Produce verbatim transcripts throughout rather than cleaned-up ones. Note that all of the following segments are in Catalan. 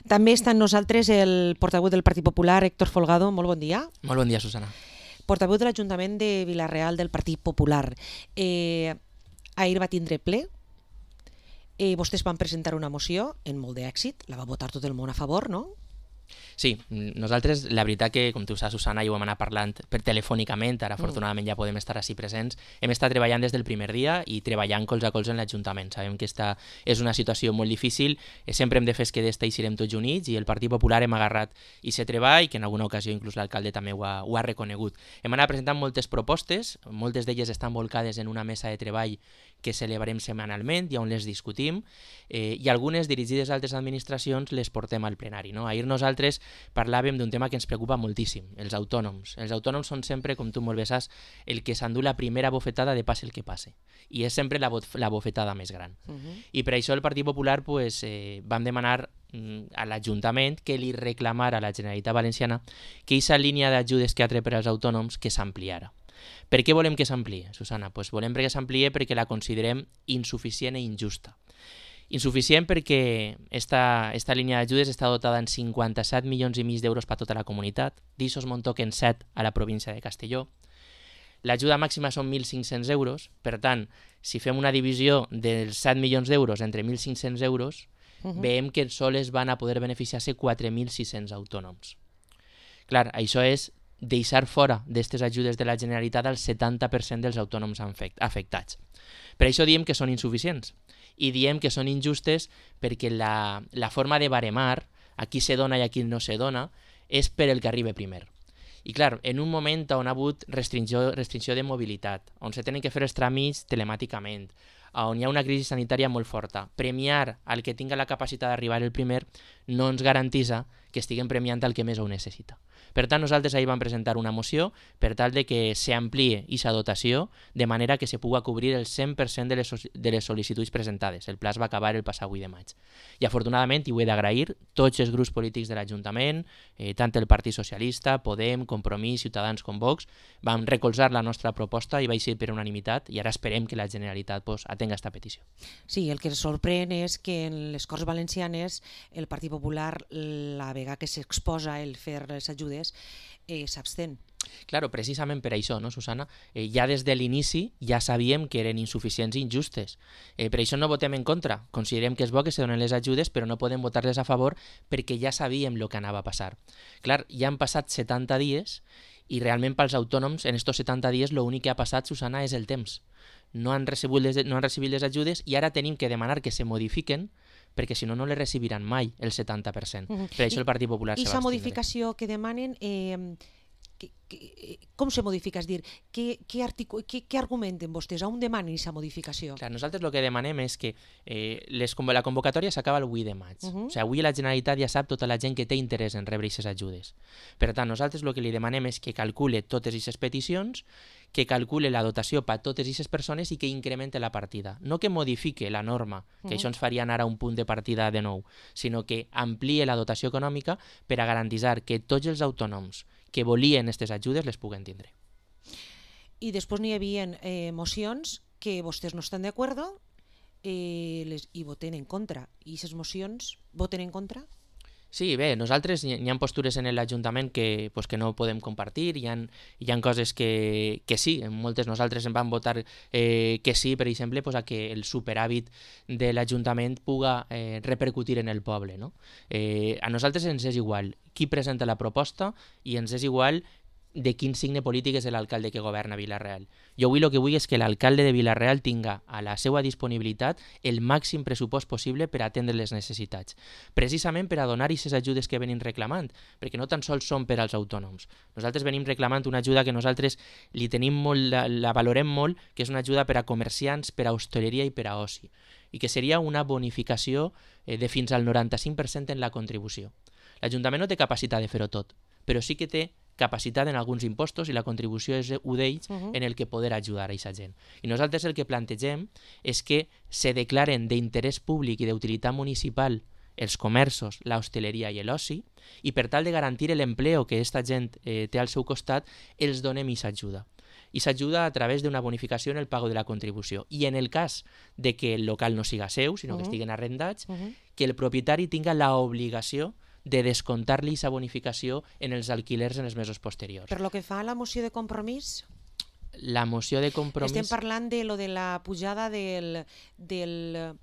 També està amb nosaltres el portaveu del Partit Popular, Héctor Folgado. Molt bon dia. Molt bon dia, Susana. Portaveu de l'Ajuntament de Vila-real del Partit Popular. Eh, ahir va tindre ple. Eh, vostès van presentar una moció en molt d'èxit. La va votar tot el món a favor, no? Sí, nosaltres, la veritat que, com tu saps, Susana, i ho hem anat parlant per telefònicament, ara afortunadament ja podem estar així presents, hem estat treballant des del primer dia i treballant colze a colze en l'Ajuntament. Sabem que esta és una situació molt difícil, sempre hem de fer que d'esta eixirem tots units i el Partit Popular hem agarrat i se treball, que en alguna ocasió inclús l'alcalde també ho ha, ho ha reconegut. Hem anat presentant moltes propostes, moltes d'elles estan volcades en una mesa de treball que celebrem setmanalment i on les discutim, eh, i algunes dirigides a altres administracions les portem al plenari. No? Ahir nosaltres parlàvem d'un tema que ens preocupa moltíssim, els autònoms. Els autònoms són sempre, com tu molt bé saps, el que s'endú la primera bofetada de passe el que passe. I és sempre la, la bofetada més gran. Uh -huh. I per això el Partit Popular pues, eh, vam demanar mm, a l'Ajuntament que li reclamara a la Generalitat Valenciana que aquesta línia d'ajudes que ha tret per als autònoms que s'ampliara. Per què volem que s'ampliï, Susana? Pues volem que s'ampliï perquè la considerem insuficient i injusta. Insuficient perquè esta, esta línia d'ajudes està dotada en cinquanta-set milions i mig d'euros per a tota la comunitat, d'aixòs me'n toquen set a la província de Castelló. L'ajuda màxima són mil cinc-cents euros, per tant, si fem una divisió dels set milions d'euros entre mil cinc-cents euros, uh -huh. veiem que sols van a poder beneficiar-se quatre mil sis-cents autònoms. Clar, això és deixar fora d'aquestes ajudes de la Generalitat el setanta per cent dels autònoms afectats. Per això diem que són insuficients i diem que són injustes perquè la, la forma de baremar a qui se dona i a qui no se dona és per el que arriba primer. I clar, en un moment on ha hagut restricció, restricció de mobilitat, on se tenen que fer els tràmits telemàticament, on hi ha una crisi sanitària molt forta, premiar al que tinga la capacitat d'arribar el primer no ens garantissa que estiguem premiant el que més ho necessita. Per tant, nosaltres ahir vam presentar una moció per tal de que s'ampliï aquesta dotació de manera que se pugui cobrir el cent per cent de les, de les sol·licituds presentades. El pla es va acabar el passat vuit de maig. I afortunadament, i ho he d'agrair, tots els grups polítics de l'Ajuntament, eh, tant el Partit Socialista, Podem, Compromís, Ciutadans com Vox, vam recolzar la nostra proposta i va ser per unanimitat i ara esperem que la Generalitat pues, atenga aquesta petició. Sí, el que ens sorprèn és que en les Corts Valencianes el Partit Popular, la vegada que s'exposa el fer les ajudes, Eh, s'abstén. Claro, precisament per això, no, Susana? Eh, ja des de l'inici ja sabíem que eren insuficients i injustes. Eh, per això no votem en contra. Considerem que és bo que se donen les ajudes, però no podem votar-les a favor perquè ja sabíem el que anava a passar. Clar, ja han passat setanta dies i realment pels autònoms en estos setanta dies l'únic que ha passat, Susana, és el temps. No han recibit les, no han recibit les ajudes i ara tenim que demanar que se modifiquen perquè si no, no les recibiran mai el setanta per cent. Uh -huh. Per això el Partit Popular se va abstindre. I aquesta modificació que demanen, eh, que, que, com se modifica? És dir, què, què, articu- què, què argumenten vostès? On demanen aquesta modificació? Clar, nosaltres el que demanem és que eh, les, la convocatòria s'acaba el vuit de maig. Uh -huh. O sigui, avui la Generalitat ja sap tota la gent que té interès en rebre aquestes ajudes. Per tant, nosaltres el que li demanem és que calcule totes aquestes peticions, que calcule la dotació per a totes aquestes persones i que incremente la partida. No que modifique la norma, que uh -huh. això ens faria anar a un punt de partida de nou, sinó que ampliï la dotació econòmica per a garantir que tots els autònoms que volien aquestes ajudes les puguen tindre. I després n'hi havia eh, mocions que vostès no estan d'acord eh, les, i voten en contra. I aquestes mocions voten en contra? Sí, bé, nosaltres hi ha postures en l'Ajuntament que, pues, que no podem compartir, hi ha, hi ha coses que, que sí, en moltes nosaltres en vam votar eh, que sí, per exemple, pues, a que el superàvit de l'Ajuntament puga eh, repercutir en el poble. No? Eh, a nosaltres ens és igual qui presenta la proposta i ens és igual de quin signe polític és l'alcalde que governa Vila-real. Jo avui el que vull és que l'alcalde de Vila-real tinga a la seva disponibilitat el màxim pressupost possible per atendre les necessitats, precisament per a donar aquestes ajudes que venim reclamant, perquè no tan sols són per als autònoms. Nosaltres venim reclamant una ajuda que nosaltres li tenim molt, la, la valorem molt, que és una ajuda per a comerciants, per a hostaleria i per a oci, i que seria una bonificació eh, de fins al noranta-cinc per cent en la contribució. L'Ajuntament no té capacitat de fer-ho tot, però sí que té capacitat en alguns impostos i la contribució és un d'ells uh -huh. en el que poder ajudar a aquesta gent. I nosaltres el que plantegem és que se declaren d'interès públic i d'utilitat municipal els comerços, l'hostaleria i l'oci i per tal de garantir l'empleo que aquesta gent eh, té al seu costat, els donem aquesta ajuda. i s'ajuda a través d'una bonificació en el pago de la contribució. I en el cas de que el local no siga seu, sinó que estiguen arrendats, uh -huh. que el propietari tinga l'obligació de descontar-li aquesta bonificació en els alquilers en els mesos posteriors. Per lo que fa a la moció de compromís... La moció de compromís... Estem parlant de lo de la pujada del... del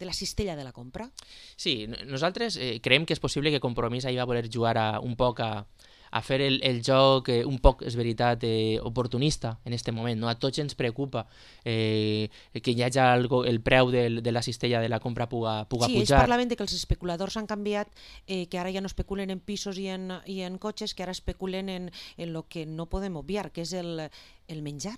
de la cistella de la compra? Sí, nosaltres eh, creiem que és possible que Compromís ahir va voler jugar a, un poc a, a fer el, el joc eh, un poc, és veritat, eh, oportunista en aquest moment. No? A tots ens preocupa eh, que hi hagi algo, el preu del, de la cistella de la compra puga, puga sí, pujar. Sí, ells parlaven de que els especuladors han canviat, eh, que ara ja no especulen en pisos i en, i en cotxes, que ara especulen en, en lo que no podem obviar, que és el, el menjar.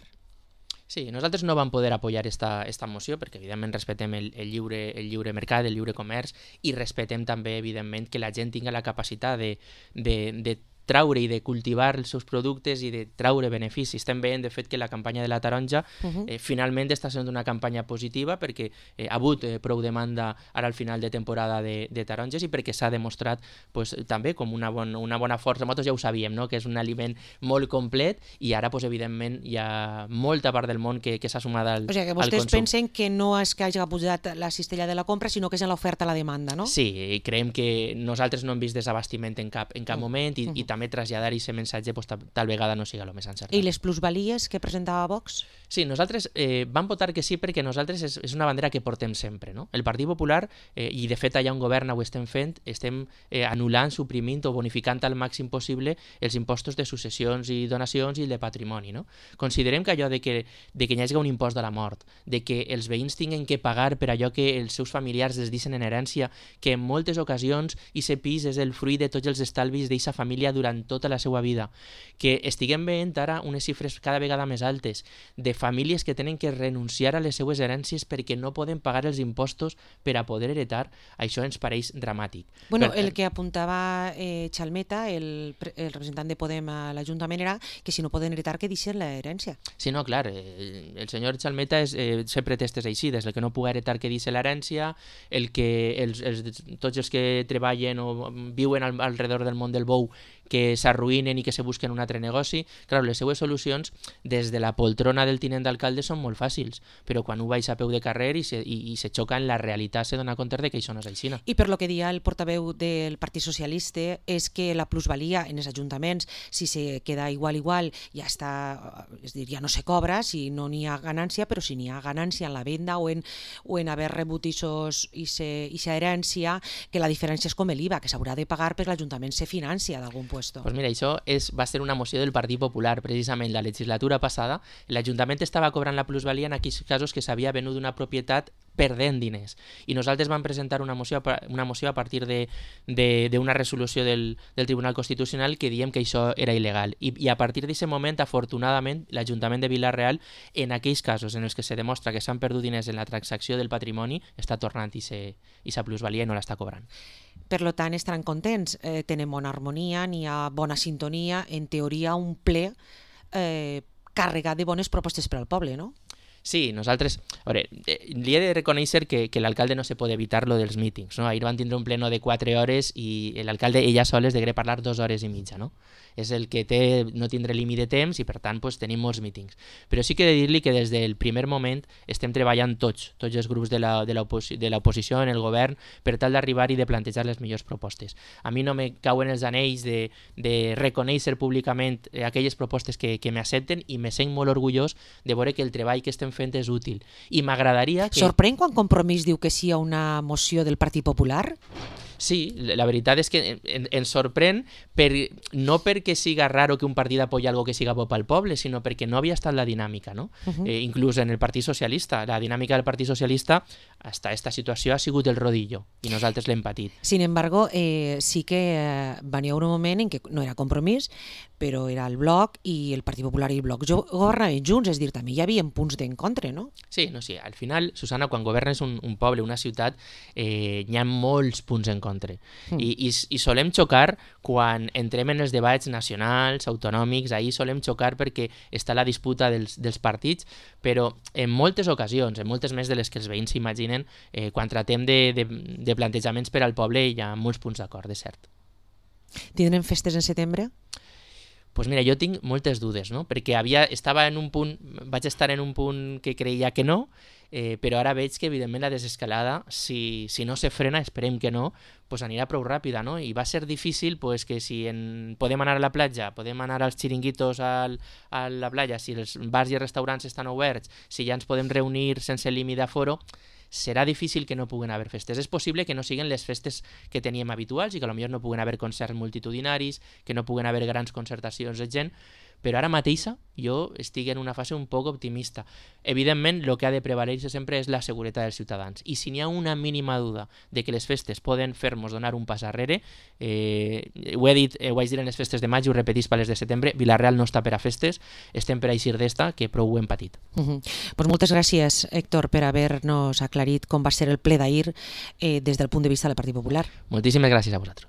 Sí, nosaltres no vam poder apoyar esta, esta moció perquè evidentment respectem el, el, lliure, el lliure mercat, el lliure comerç i respectem també evidentment que la gent tinga la capacitat de, de, de traure i de cultivar els seus productes i de traure beneficis. Estem veient, de fet, que la campanya de la taronja uh -huh. eh, finalment està sent una campanya positiva perquè eh, ha hagut eh, prou demanda ara al final de temporada de, de taronges i perquè s'ha demostrat pues, també com una, bon, una bona força. Nosaltres ja ho sabíem, no? Que és un aliment molt complet i ara, pues, evidentment, hi ha molta part del món que, que s'ha sumat al, o sigui, que al vostès consum. pensen que no és que hagi pujat la cistella de la compra, sinó que és en l'oferta a la demanda, no? Sí, i creiem que nosaltres no hem vist desabastiment en cap, en cap uh -huh. moment i, uh -huh. i també traslladar aquest missatge pues, tal vegada no siga el més encertat. I les plusvalies que presentava Vox? Sí, nosaltres eh, vam votar que sí perquè nosaltres és, és una bandera que portem sempre. No? El Partit Popular, eh, i de fet allà on governa ho estem fent, estem eh, anul·lant, suprimint o bonificant al màxim possible els impostos de successions i donacions i de patrimoni. No? Considerem que allò de que, de que hi hagi un impost de la mort, de que els veïns tinguin que pagar per allò que els seus familiars els deixen en herència, que en moltes ocasions aquest pis és el fruit de tots els estalvis d'aquesta família durant tota la seva vida, que estiguem veient ara unes xifres cada vegada més altes de famílies que tenen que renunciar a les seues herències perquè no poden pagar els impostos per a poder heretar, això ens pareix dramàtic. Bueno, per... el que apuntava eh, Chalmeta, el, el representant de Podem a l'Ajuntament, era que si no poden heretar que deixen l'herència. Sí, no, clar, eh, el senyor Chalmeta és, eh, sempre testes així, des del que no puga heretar que deixa l'herència, el que els, els, tots els que treballen o viuen al, alrededor del món del bou que s'arruïnen i que se busquen un altre negoci. Clar, les seues solucions des de la poltrona del tinent d'alcalde són molt fàcils, però quan ho baix a peu de carrer i se, i, i se xoca en la realitat se dona compte de que això no és així. I per lo que dia el portaveu del Partit Socialista és que la plusvalia en els ajuntaments, si se queda igual igual, ja està, és dir, ja no se cobra si no n'hi ha ganància, però si n'hi ha ganància en la venda o en, o en haver rebut aquesta herència, que la diferència és com l'I V A, que s'haurà de pagar perquè l'Ajuntament se financia d'algun puesto. Pues mira, això és, va ser una moció del Partit Popular. Precisament la legislatura passada, l'Ajuntament estava cobrant la plusvalia en aquells casos que s'havia venut una propietat perdent diners. I nosaltres vam presentar una moció, una moció a partir d'una resolució del, del Tribunal Constitucional que diem que això era il·legal. I, i a partir d'aquest moment, afortunadament, l'Ajuntament de Vila-real, en aquells casos en els que se demostra que s'han perdut diners en la transacció del patrimoni, està tornant aquesta plusvalia i no l'està cobrant. Per tant, estaran contents, eh, tenen bona harmonia, n'hi ha bona sintonia, en teoria un ple eh, carregat de bones propostes per al poble, no? Sí, nosaltres... A veure, li he de reconèixer que, que l'alcalde no se pot evitar lo dels mítings, no? Ahir van tindre un pleno de quatre hores i l'alcalde ella sola es degué parlar dues hores i mitja, no? És el que té no tindre límit de temps i per tant pues, tenim molts mítings. Però sí que he de dir-li que des del primer moment estem treballant tots, tots els grups de l'oposició en el govern per tal d'arribar i de plantejar les millors propostes. A mi no me cauen els anells de, de reconèixer públicament aquelles propostes que, que m'accepten i me sent molt orgullós de veure que el treball que estem fent és útil. I m'agradaria que... Sorprèn quan Compromís diu que sí a una moció del Partit Popular? Sí, la veritat és que ens sorprèn per, no perquè siga raro que un partit apoyi algo que siga bo pel poble, sinó perquè no havia estat la dinàmica, no? Uh-huh. eh, inclús en el Partit Socialista. La dinàmica del Partit Socialista hasta esta situació ha sigut el rodillo i nosaltres l'hem patit. Sin embargo, eh, sí que eh, va haver un moment en què no era Compromís, però era el Bloc i el Partit Popular i el Bloc governaven junts, és dir, també hi havia punts d'encontre, no? Sí, no, sí. Al final, Susana, quan governes un, un poble, una ciutat, eh, hi ha molts punts en contra. Mm. I, i, I solem xocar quan entrem en els debats nacionals, autonòmics, ahir solem xocar perquè està la disputa dels, dels partits, però en moltes ocasions, en moltes més de les que els veïns s'imaginen, eh, quan tratem de, de, de plantejaments per al poble hi ha molts punts d'acord, és cert. Tindrem festes en setembre? Pues mira, jo tinc moltes dudes, no? Perquè havia, estava en un punt, vaig estar en un punt que creia que no, eh, però ara veig que evidentment la desescalada, si, si no se frena, esperem que no, pues anirà prou ràpida, no? I va ser difícil pues, que si en... podem anar a la platja, podem anar als xiringuitos al, a la platja, si els bars i els restaurants estan oberts, si ja ens podem reunir sense límit d'aforo, serà difícil que no puguen haver festes. És possible que no siguin les festes que teníem habituals i que potser no puguen haver concerts multitudinaris, que no puguen haver grans concertacions de gent, però ara mateixa jo estic en una fase un poc optimista. Evidentment, el que ha de prevaler sempre és la seguretat dels ciutadans. I si n'hi ha una mínima duda de que les festes poden fer-nos donar un pas arrere, eh, ho he dit, eh, ho vaig dir en les festes de maig i ho repetís per les de setembre, Vila-real no està per a festes, estem per a eixir d'esta, que prou ho hem patit. Uh -huh. Pues moltes gràcies, Héctor, per haver-nos aclarit com va ser el ple d'ahir eh, des del punt de vista del Partit Popular. Moltíssimes gràcies a vosaltres.